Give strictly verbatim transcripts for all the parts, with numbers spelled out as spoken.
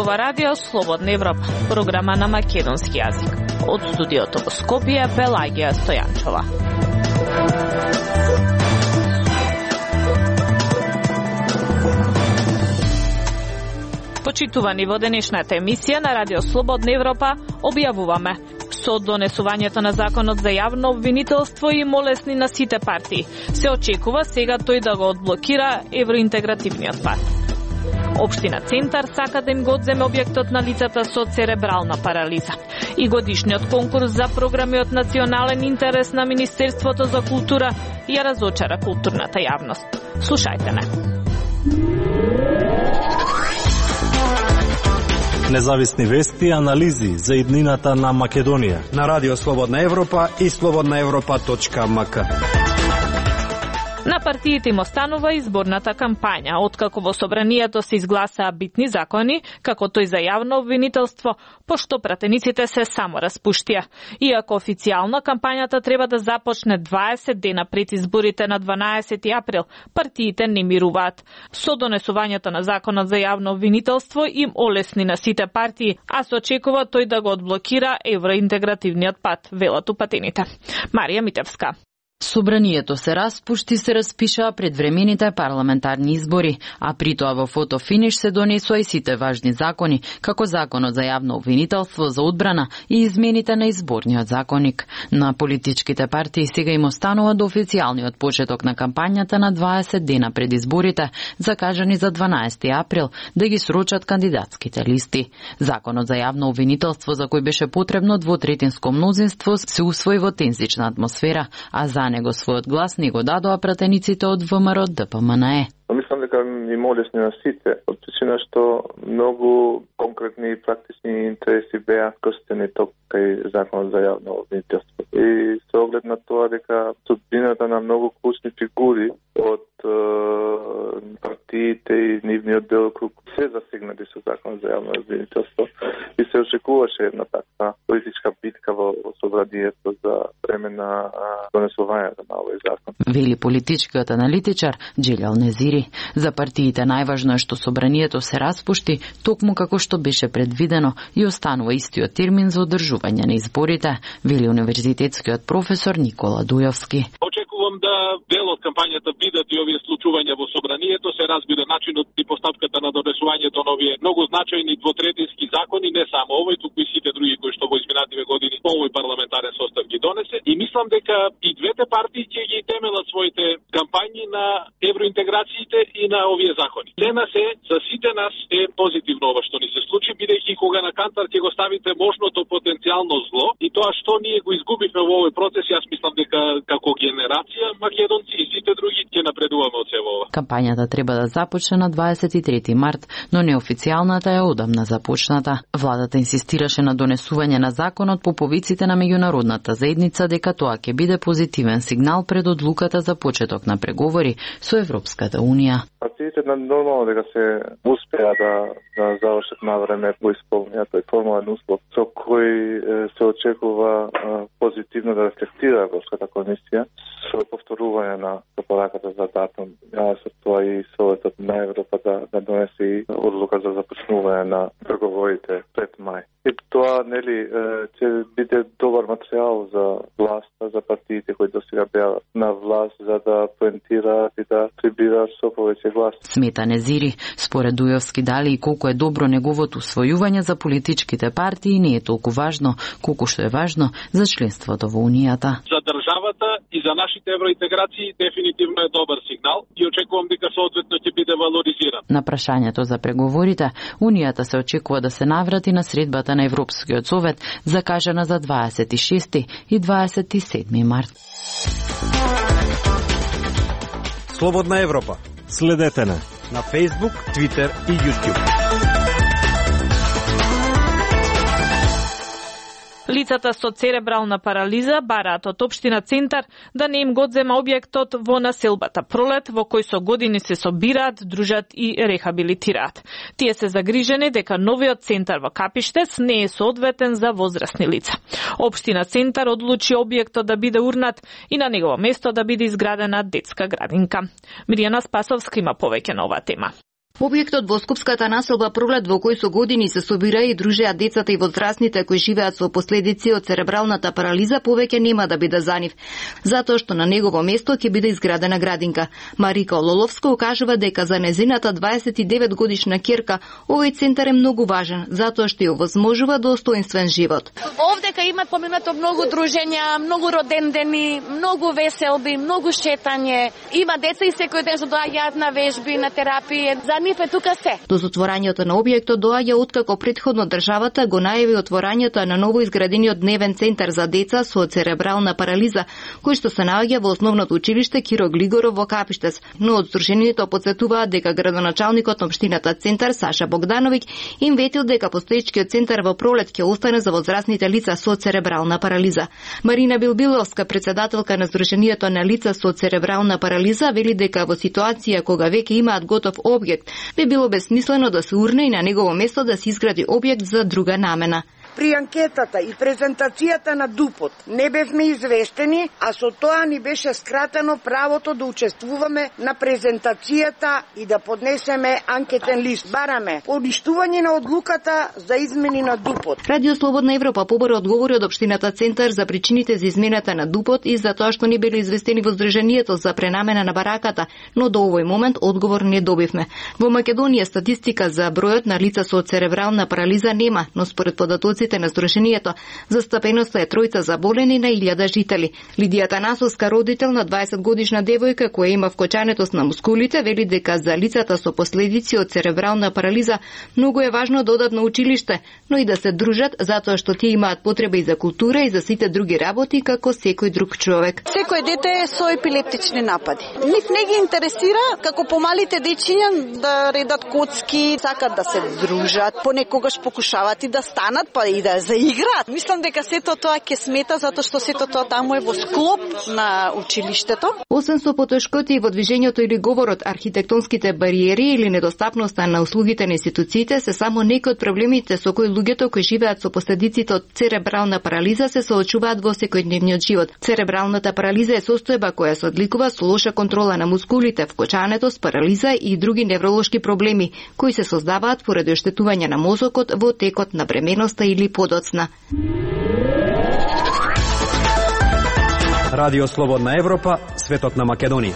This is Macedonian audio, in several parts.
зборува Радио Слободна Европа, програма на македонски јазик. Од студиото во Скопје, Пелагија Стојанчова. Почитувани, во денешната емисија на Радио Слободна Европа објавуваме: со донесувањето на законот за јавно обвинителство и молесни на сите партии, се очекува сега тој да го одблокира евроинтегративниот пат. Општина Центар сака да им го одземе објектот на лицата со церебрална парализа. И годишниот конкурс за програми од национален интерес на Министерството за култура ја разочара културната јавност. Слушајте не. Независни вести и анализи за иднината на Македонија на Радио Слободна Европа и слободна европа точка ем ка. На партиите им останува изборната кампања, откако во собранието се изгласаа битни закони, како тој за јавно обвинителство, пошто пратениците се само распуштија. Иако официјално кампањата треба да започне дваесет дена пред изборите на дванаесети април, партиите не мируваат. Со донесувањето на законот за јавно обвинителство им олесни на сите партии, а се очекува тој да го одблокира евроинтегративниот пат, велат упатените. Марија Митевска. Собранието се распушти, се распишаа предвремените парламентарни избори, а при тоа во фотофиниш се донесоа и сите важни закони, како законот за јавно обвинителство, за одбрана и измените на изборниот законник. На политичките партии сега им останува до официјалниот почеток на кампањата на дваесет дена пред изборите, закажани за дванаесети април, да ги срочат кандидатските листи. Законот за јавно обвинителство, за кој беше потребно двотретинско мнозинство, се усвои во тензична атмосфера, а за него својот глас не го дадоа пратениците од ВМРО Д П М Н Е. Мислам дека им олесни на сите, од причина што многу конкретни и практични интереси беа крстени ток кај законот за јавно обвинителство. И со оглед на тоа дека судбината на многу клучни фигури од е, партиите и нивниот делокруг се засегнати со законот за јавно обвинителство и се очекуваше една таква политичка битка во собранието за време на донесувањето на овој закон. Вели политичкиот аналитичар Джилјал Незири. За партиите најважно е што собранието се распушти, токму како што беше предвидено и останува истиот термин за одржување на изборите, вели универзитетскиот професор Никола Дујовски. Очекувам да дел од кампањата бидат и овие случувања во собранието, се разбира начинот и постапката на донесувањето на овие многу значајни двотретински закони, не само овој, туку и сите други кои што во изминативе години овој парламентарен состав ги донесе, и мислам дека и двете партии ќе ги темелат своите кампањи на евроинтеграциите и на овие закони. Лена се, за сите нас е позитивно ова што ни се случи, бидејќи кога на кантар ќе го ставите можното потенцијално зло и тоа што ние го изгубивме во овој процес, јас мислам дека како генерација македонци и сите други ќе напредуваме од сево ова. Кампањата треба да започне на дваесет и трети март, но неофицијалната е одамна започната. Владата инсистираше на донесување на законот по повиците на меѓународната заедница дека тоа ќе биде позитивен сигнал пред одлуката за почеток на преговори со Европската унија. Партиите на нормално дека се успеа да, да завршат на време по исполнението тој формален услов, со кој се очекува позитивно да рефлектира Европската комисија со повторување на препораката за датум. Ја со тоа и Советот на Европа да, да донесе одлука за започнување на преговорите пред мај. И тоа, нели, ќе биде добар материјал за власта, за партиите кои досега беа на власт, за да поентираат и да прибираат со повеќе глас. Смета Незири, според Дујовски, дали и колку е добро неговото усвојување за политичките партии не е толку важно, колку што е важно за членството во Унијата. За државата и за нашите евроинтеграции дефинитивно е добар сигнал и очекувам дека соодветно ќе биде валоризиран. На прашањето за преговорите, Унијата се очекува да се наврати на средбата на Европскиот совет, закажана за дваесет и шести и дваесет и седми март. Слободна Европа. Следете на на Facebook, Twitter и YouTube. Лицата со церебрална парализа бараат од општина Центар да не им го одзема објектот во населбата Пролет, во кој со години се собираат, дружат и рехабилитираат. Тие се загрижени дека новиот центар во Капиштец не е соодветен за возрастни лица. Општина Центар одлучи објектот да биде урнат и на негово место да биде изградена детска градинка. Мирјана Спасовска има повеќе на оваа тема. Објектот во Скопската населба Пролет, во кој со години се собира и дружеа децата и возрастните кои живеат со последици од церебралната парализа, повеќе нема да биде за нив, затоа што на негово место ќе биде изградена градинка. Марика Ололовска укажува дека за незината дваесет и девет годишна ќерка овој центар е многу важен, затоа што ја овозможува достоинствен живот. Овдека има поминато многу дружења, многу родендени, многу веселби, многу шетање. Има деца и секој ден што доаѓаат на вежби, на терапија. За нив е тука се. До затворањето на објектот доаѓа откако претходно државата го најави отворањето на ново изградениот дневен центар за деца со церебрална парализа, кој што се наоѓа во основното училиште Киро Глигоров во Капиштец. Но од здруженијето потсетуваат дека градоначалникот на општината Центар Саша Богдановиќ им ветил дека постоечкиот центар во Пролет ќе остане за возрастните лица со церебрална парализа. Марина Билбиловска, председателка на Здруженијето на лица со церебрална парализа, вели дека во ситуација кога веќе имаат готов објект, би било бесмислено да се урне и на негово место да се изгради објект за друга намена. При анкетата и презентацијата на ДУПОТ не бевме извештени, а со тоа ни беше скратено правото да учествуваме на презентацијата и да поднесеме анкетен лист. Бараме поништување на одлуката за измени на ДУПОТ. Радио Слободна Европа побаро одговори од општината Центар за причините за измената на ДУПОТ и за тоа што не биле известени во Здруженијето за пренамена на бараката, но до овој момент одговор не добивме. Во Македонија статистика за бројот на лица со церебрална парализа нема, но според податоците на Здруженијето, застапеноста е тројца заболени на илјада жители. Лидија Танасовска, родител на дваесет годишна девојка која има вкочанетост на мускулите, вели дека за лицата со последици од церебрална парализа многу е важно да одат на училиште, но и да се дружат затоа што тие имаат потреба и за култура и за сите други работи како секој друг човек. Секој дете е со епилептични напади. Нив не ги интересира како помалите дечиња да редат коцки, сакат да се дружат, понекогаш покушават и да станат, па и да заиграат. Мислам дека сето тоа ќе смета затоа што сето тоа таму е во склоп на училиштето. Освен со потешкоти и во движењето или говорот, архитектонските бариери или недостапноста на услугите на институциите се само некои од проблемите со кои луѓето кои живеат со последиците од церебрална парализа се соочуваат во секојдневниот живот. Церебралната парализа е состојба која се одликува со лоша контрола на мускулите, вкочанетост, парализа и други невролошки проблеми кои се создаваат поради оштетување на мозокот во текот на бременоста или подоцна. Радио Слободна Европа, светот на Македонија.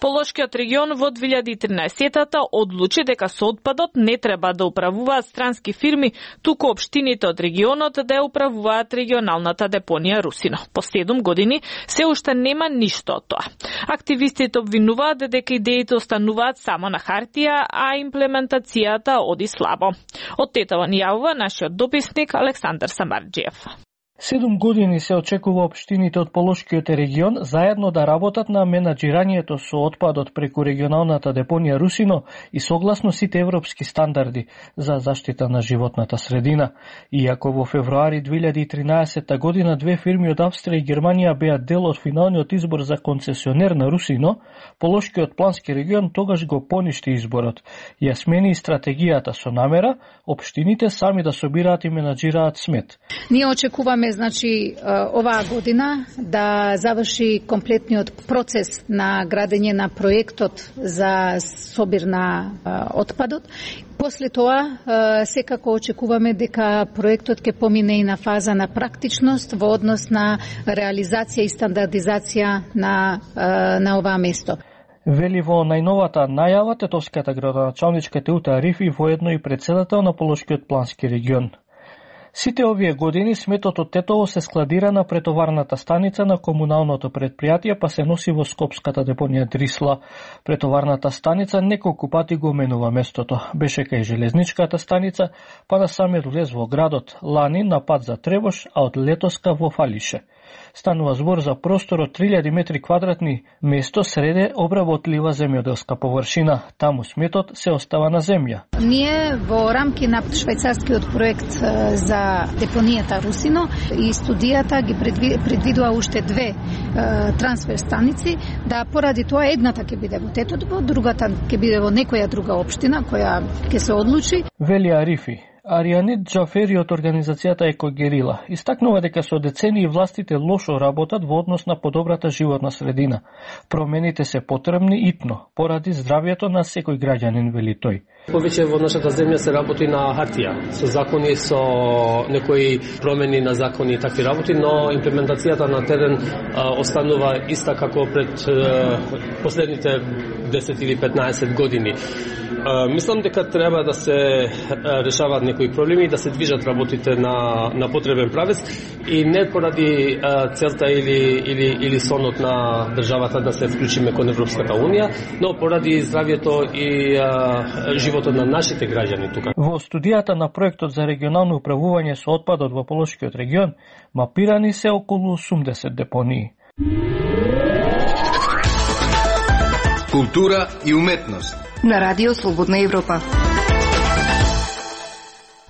Полошкиот регион во две илјади и тринаесетта одлучи дека со отпадот не треба да управуваат странски фирми, туку општините од регионот да ја управуваат регионалната депонија Русино. По седум години се уште нема ништо од тоа. Активистите обвинуваат дека идеите остануваат само на хартија, а имплементацијата оди слабо. Од Тетово ни јавува нашиот дописник Александар Самарџиев. Седум години се очекува општините од Полошкиот регион заедно да работат на менаџирањето со отпадот преку регионалната депонија Русино и согласно сите европски стандарди за заштита на животната средина. Иако во февруари две илјади и тринаесетта година две фирми од Австрија и Германија беа дел од финалниот избор за концесионер на Русино, Полошкиот плански регион тогаш го поништи изборот. Ја смени стратегијата со намера општините сами да собираат и менаџираат смет. Ние очекуваме значи оваа година да заврши комплетниот процес на градење на проектот за собир на отпадот. После тоа секако очекуваме дека проектот ќе помине и на фаза на практичност во однос на реализација и стандардизација на на оваа место. Вели во најновата најава тетовската градоначалничка Теута Арифи, воедно и председател на Полошкиот плански регион. Сите овие години сметот од Тетово се складира на претоварната станица на комуналното предпријатие, па се носи во скопската депонија Дрисла. Претоварната станица неколку пати го менува местото. Беше кај железничката станица, па на самиот влез во градот, лани на пат за Требош, а од летоска во Фалише. Станува збор за простор од три илјади метри квадратни, место среде обработлива земјоделска површина. Таму сметот се остава на земја. Ние во рамки на швајцарскиот проект за депонијата Русино и студијата ги предвидува уште две трансфер станици, да поради тоа едната ќе биде во Тетово, другата ќе биде во некоја друга општина која ќе се одлучи. Вели Арифи, Аријанит Џафери од организацијата Екогерила истакнува дека со децении властите лошо работат во однос на подобрата животна средина. Промените се потребни итно, поради здравието на секој граѓанин, вели тој. Повеќе во нашата земја се работи на хартија, со закони, со некои промени на закони и такви работи, но имплементацијата на терен а, останува иста како пред а, последните десет или петнаесет години. А, мислам дека треба да се а, решаваат некои проблеми, да се движат работите на, на потребен правец и не поради а, целта или, или, или сонот на државата да се вклучиме кон Европската Унија, но поради здравието и а, животот на нашите граѓани тука. Во студијата на проектот за регионално управување со отпадот во Полошкиот регион, мапирани се околу осумдесет депонии. Култура и уметност на Радио Слободна Европа.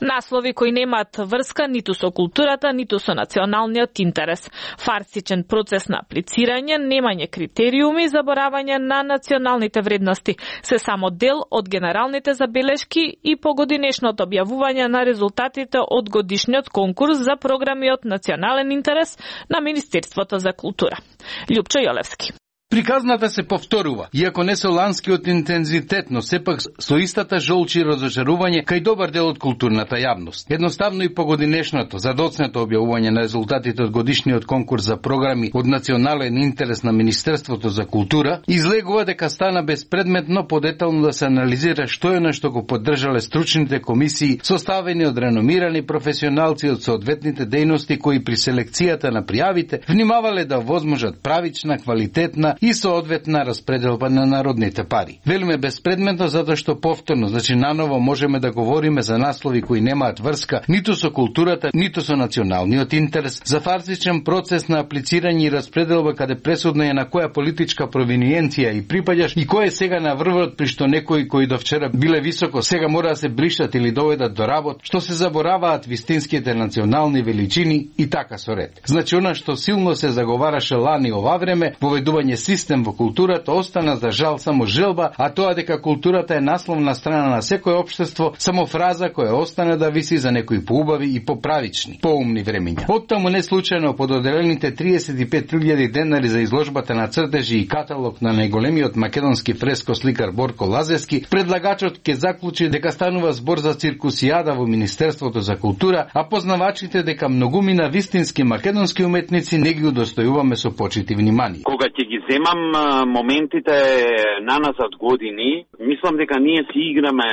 Наслови кои немаат врска ниту со културата, ниту со националниот интерес. Фарсичен процес на аплицирање, немање критериуми, заборавање на националните вредности, се само дел од генералните забелешки и погодинешното објавување на резултатите од годишниот конкурс за програми од национален интерес на Министерството за култура. Љупчо Јолевски. Приказната се повторува, иако не со ланскиот интензитет, но сепак со истата жолчи и разочарување кај добар дел од културната јавност. Едноставно и погодинешното, задоцнето објавување на резултатите од годишниот конкурс за програми од национален интерес на Министерството за култура излегува дека стана безпредметно подетално да се анализира што е на што го поддржале стручните комисии составени од реномирани професионалци од соодветните дејности кои при селекцијата на пријавите внимавале да возможат правична, квалитетна и соодветна распределба на народните пари. Велиме безпредметно затоа што повторно, значи наново можеме да говориме за наслови кои немаат врска ниту со културата, ниту со националниот интерес, за фарсичен процес на аплицирање и распределба каде пресудна е на која политичка провиниенција и припаѓаш и кој е сега на врвот при што некои кои до вчера биле високо, сега мора да се бришат или доведат до работ, што се забораваат вистинските национални величини и така со ред. Значи она што силно се заговараше лани ова време, воведување систем во културата, остана за жал само желба, а тоа дека културата е насловна страна на секој општество, само фраза која остана да виси за некои поубави и поправични, поумни времиња. Оттаму не случајно под одделените триесет и пет илјади денари за изложбата на цртежи и каталог на најголемиот македонски фрескосликар Борко Лазевски, предлагачот ќе заклучи дека станува збор за циркусијада во Министерството за култура, а познавачите дека многумина вистински македонски уметници не ги удостојуваме со почит и внимание. Кога ќе ги земам моментите наназад години, мислам дека ние си играме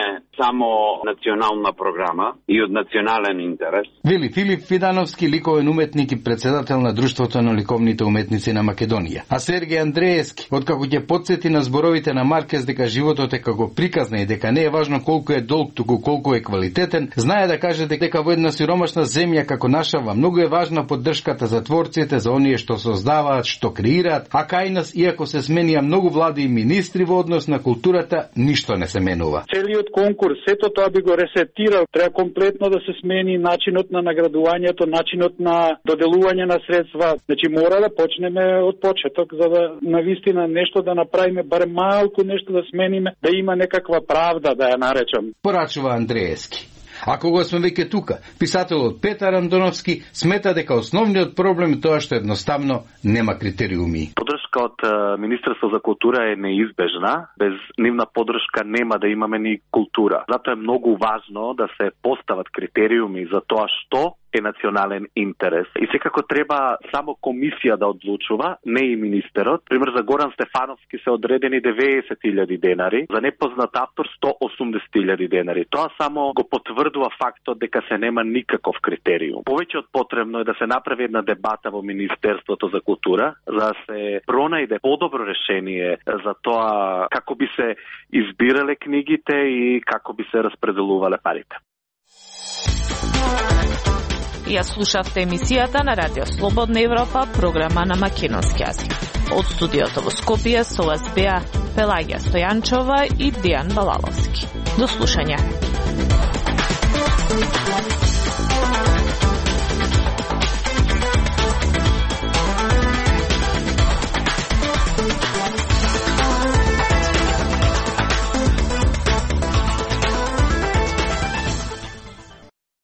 само национална програма и од национален интерес. Вели Филип Фидановски, ликовен уметник и председател на Друштвото на ликовните уметници на Македонија. А Сергеј Андреевски, откако ќе потсети на зборовите на Маркес дека животот е како приказна и дека не е важно колку е долг, туку колку е квалитетен, знае да каже дека во една сиромашна земја како нашава многу е важна поддршката за творците, за оние што создаваат, што креираат, а кај нас, иако се сменија многу влади и министри во однос на културата, ништо не се менува. Целиот конкурс, сето тоа би го ресетирал, треба комплетно да се смени начинот на наградувањето, начинот на доделување на средства. Значи мора да почнеме од почеток за да навистина нешто да направиме, барем малку нешто да смениме, да има некаква правда, да ја наречам. Порачува Андреевски. А кога сме веќе тука, писателот Петар Андоновски смета дека основниот проблем е тоа што едноставно нема критериуми. Поддршка од Министерство за култура е неизбежна. Без нивна поддршка нема да имаме ни култура. Затоа е многу важно да се постават критериуми за тоа што е национален интерес. И секако треба само комисија да одлучува, не и министерот. Пример, за Горан Стефановски се одредени деветдесет илјади денари, за непознат автор сто осумдесет илјади денари. Тоа само го потврдува фактот дека се нема никаков критериум. Повеќе од потребно е да се направи една дебата во Министерството за култура, за да се пронајде подобро решение за тоа како би се избирале книгите и како би се распределувале парите. Ја слушавте емисијата на Радио Слободна Европа, програма на македонски јазик. Од студиото во Скопје со вас беа Пелагија Стојанчова и Дејан Балаловски. До слушање.